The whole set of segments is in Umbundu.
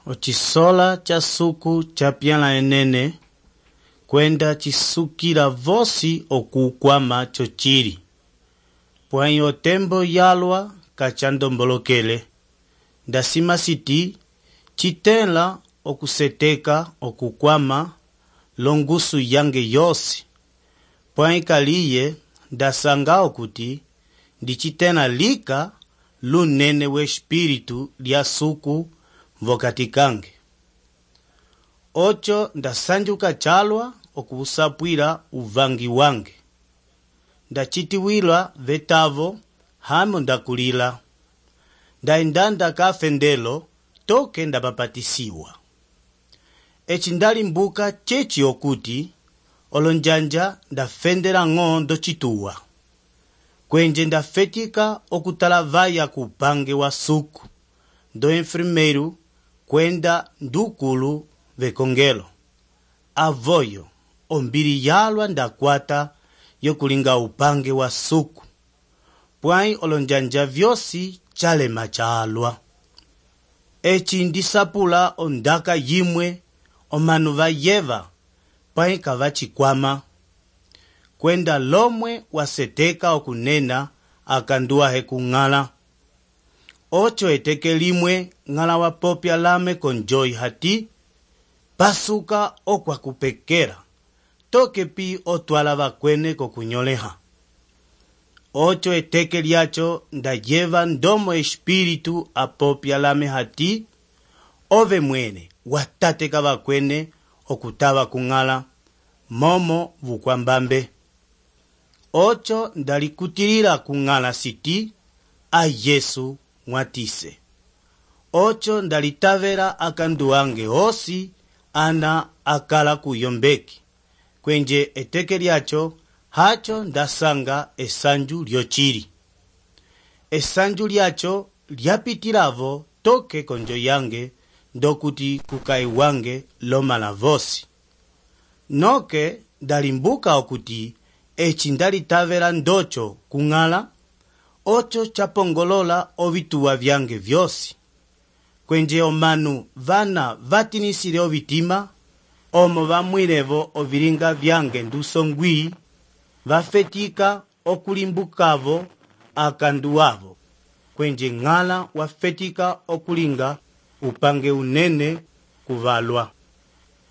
Ocisola cha suku cha pyala enene, kwenda cisukila vosi okukwama chocili. Pwayi otembo yalwa kachandombolokele, ndasima siti citela okuseteka okukwama longusu yange yosi. Pwayi kaliye ndasanga okuti ndicitena lika lunene we espiritu lya suku vokati kange. Ocho ndasanjuka chalwa okusapwila uvangi wange. Ndachitiwila vetavo hamo ndakulila. Ndaindanda kafendelo toke ndapapatisiwa. Eci ndalimbuka chechi okuti olonjanja ndafendela ng'ondo chituwa. Kwenje ndafetika okutalavaya kupange wa suku. Do enfermeiro kwenda ndukulu vekongelo. Avoyo ombili yalwa ndakwata yokulinga upange wa suku. Pwayi olonjanja vyosi chalema chalwa. Eci ndisapula ondaka yimwe omanu vayeva pwayi kavachikwama. Kwenda lomwe waseteka okunena akanduahe kung'ala. Ocho eteke limwe ng'ala wapopya lame konjoi hati pasuka okwa kupekera toke pi otwala vakwene kokunyoleha. Ocho eteke liacho ndayeva ndomo espiritu apopya lame hati ove mwene watateka vakwene okutava kung'ala momo vukwambambe. Ocho ndalikutilila kung'ala siti a Yesu mwatise. Ocho ndalitavela akandu wange osi ana akala kuyombeki. Kwenje eteke liacho hacho ndasanga esanju lyochili. Esanju liacho lyapitilavo toke konjo yange ndokuti kukai wange lomala vosi. Noke ndalimbuka okuti eci ndalitavela ndocho kung'ala. Ocho chapongolola ovituwa vyange vyosi. Kwenje omanu vana vatinisile ovitima, omo vamwilevo ovilinga vyange ndusongwi, vafetika okulimbukavo akandu wavo. Kwenje ng'ala wafetika okulinga upange unene kuvalwa.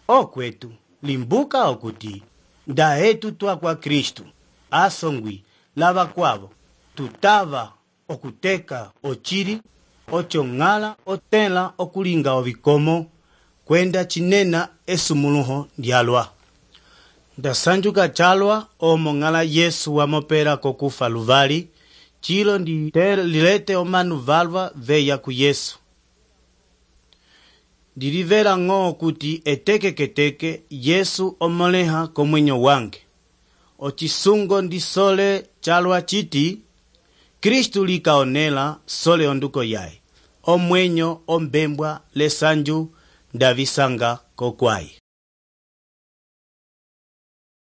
Okwetu limbuka okuti ndahetu twa kwa Kristu asongwi lava kwavo tutava okuteka ochili. Ocho ng'ala otela okulinga ovikomo kwenda chinena esumuluho lyalwa. Ndasanjuka chalwa omo ng'ala Yesu wamopela kokufa luvali chilo lilete omanu valwa veya ku Yesu. Ndilivela ng'o kuti eteke keteke Yesu omoleha komwenyo wange. Ochisungo ndisole chalwa chiti Kristu likaonela sole onduko yae. Omwenyo ombembwa lesanju ndavisanga kokwai.